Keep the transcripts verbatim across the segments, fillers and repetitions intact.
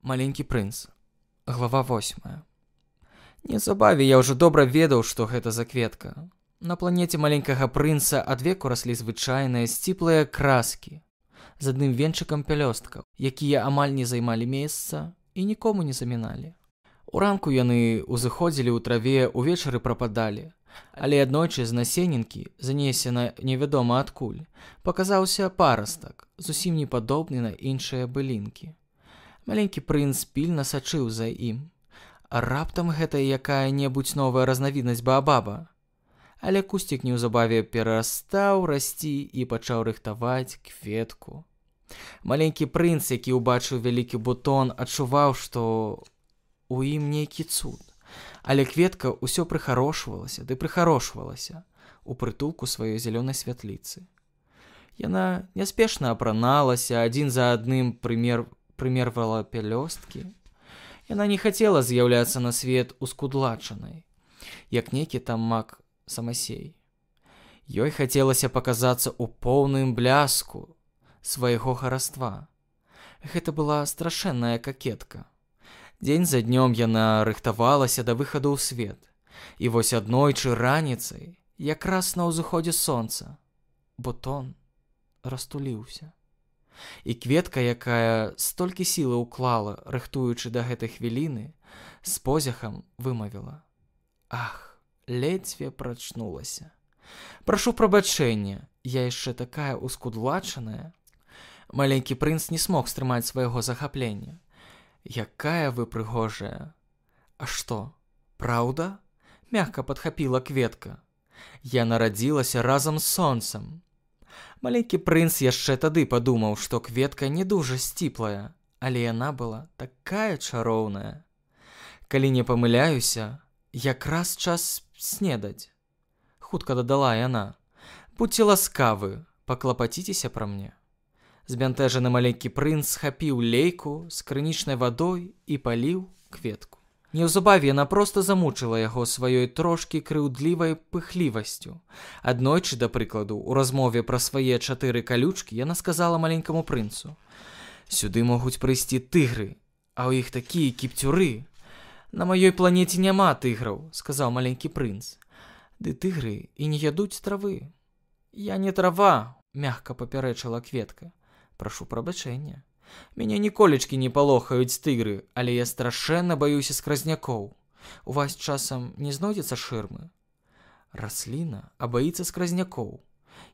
Маленькі прынц. Глава восьмая. Неўзабаве я ўжо добра ведаў, што гэта за кветка. На планеце маленькага прынца адвеку раслі звычайныя сціплыя краскі з адным венчыкам пялёсткаў, якія амаль не займалі месца і нікому не заміналі. Уранку яны ўзыходзілі ў траве, увечары прападалі, але аднойчы з насенінкі, занесена невядома адкуль, паказаўся парастак, зусім не падобны на іншыя былінкі. Маленькі прынц пільна сачыў за ім. А раптам гэта якая-небудзь новая разнавіднасць баабаба. Але кусцік неўзабаве перастаў расці і пачаў рыхтаваць кветку. Маленькі прынц, які ўбачыў вялікі бутон, адчуваў, што у ім нейкі цуд. Але кветка ўсё прыхарошвалася ды прыхарошвалася у прытулку сваёй зялёнай святліцы. Яна няспешна апраналася, адзін за адным прымер... прымервала пялёсткі. Яна не хацела з'яўляцца на свет ускудлачанай, як нейкі там маг самасей. Ёй хацелася паказацца ў поўным бляску свайго хараства. Гэта была страшэнная какетка. Дзень за днём яна рыхтавалася да выхаду ў свет. І вось аднойчы раніцай, якраз на ўзыходзе сонца, бутон растуліўся. І кветка, якая столькі сілы ўклала, рыхтуючы да гэтай хвіліны, з позяхам вымавіла: «Ах, ледзьве прачнулася. Прашу прабачэння, я яшчэ такая ускудлачаная». Маленькі прынц не смог стрымаць свайго захаплення. «Якая вы прыгожая!» «А што, праўда?» — мякка падхапіла кветка. «Я нарадзілася разам з сонцам». Маленькі прынц яшчэ тады падумаў, што кветка не дужа сціплая, але яна была такая чароўная. «Калі не памыляюся, якраз час снедаць», — хутка дадала яна. «Будьце ласкавы, паклапаціцеся пра мне». Збянтэжаны маленькі прынц схапіў лейку з крынічнай вадой і паліў кветку. Неўзабаве яна проста замучыла яго сваёй трошкі крыўдлівай пыхлівасцю. Аднойчы, да прыкладу, у размове пра свае чатыры калючкі яна сказала маленькаму прынцу: «Сюды могуць прыйсці тыгры, а ў іх такія кіпцюры». «На маёй планеце няма тыграў», — сказаў маленькі прынц. «Ды тыгры і не ядуць травы». «Я не трава», — мякка папярэчыла кветка. «Прашу прабачэння. Мяне ніколечкі не палохаюць тыгры, але я страшэнна баюся скразнякоў. У вас часам не знойдзецца шырмы?» «Расліна, а баіцца скразнякоў.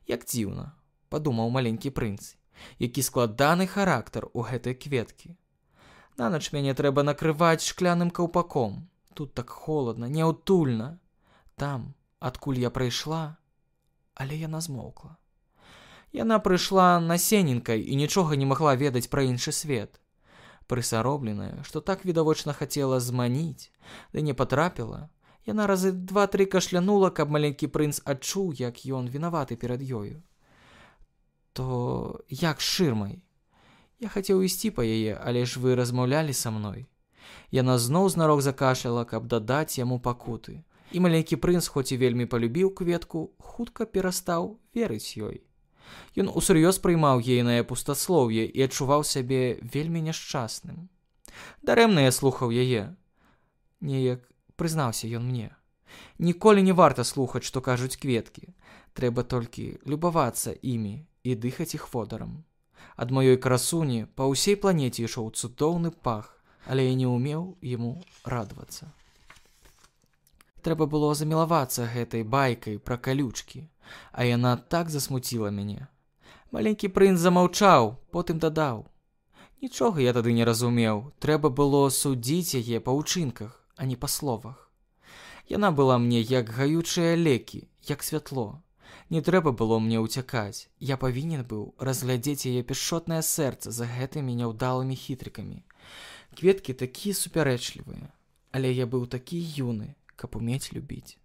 Як дзіўна», — падумаў маленькі прынц, які складаны характар у гэтай кветкі. «Нанач мяне трэба накрываць шкляным каўпаком. Тут так холадна, няўтульна. Там, адкуль я прыйшла...» Але яна змоўкла. Яна прыйшла насенінкай і нічога не магла ведаць пра іншы свет. Прысаробленая, што так відавочна хацела зманіць, ды не патрапіла, яна разы два-тры кашлянула, каб маленькі прынц адчуў, як ён вінаваты перад ёю. «То як з шырмай? Я хацеў ісці па яе, але ж вы размаўлялі са мной». Яна зноў знарок закашляла, каб дадаць яму пакуты. І маленькі прынц, хоць і вельмі палюбіў кветку, хутка перастаў верыць ёй. Ён усур'ёз прыймаў ейнае пустаслоўе і адчуваў сябе вельмі няшчасным. «Дарэмна я слухаў яе», — неяк прызнаўся ён мне. «Ніколі не варта слухаць, што кажуць кветкі. Трэба толькі любавацца імі і дыхаць іх водарам. Ад маёй красуні па ўсей планеце ішоў цудоўны пах, але я не ўмеў яму радавацца. Трэба было замілавацца гэтай байкай пра калючкі, а яна так засмуціла мяне». Маленькі прынц замаўчаў, потым дадаў: «Нічога я тады не разумеў, трэба было судзіць яе па ўчынках, а не па словах. Яна была мне як гаючыя лекі, як святло. Не трэба было мне ўцякаць, я павінен быў разглядзець яе пяшчотнае сэрца за гэтымі няўдалымі хітрыкамі. Кветкі такія супярэчлівыя, але я быў такі юны, каб умець любіць».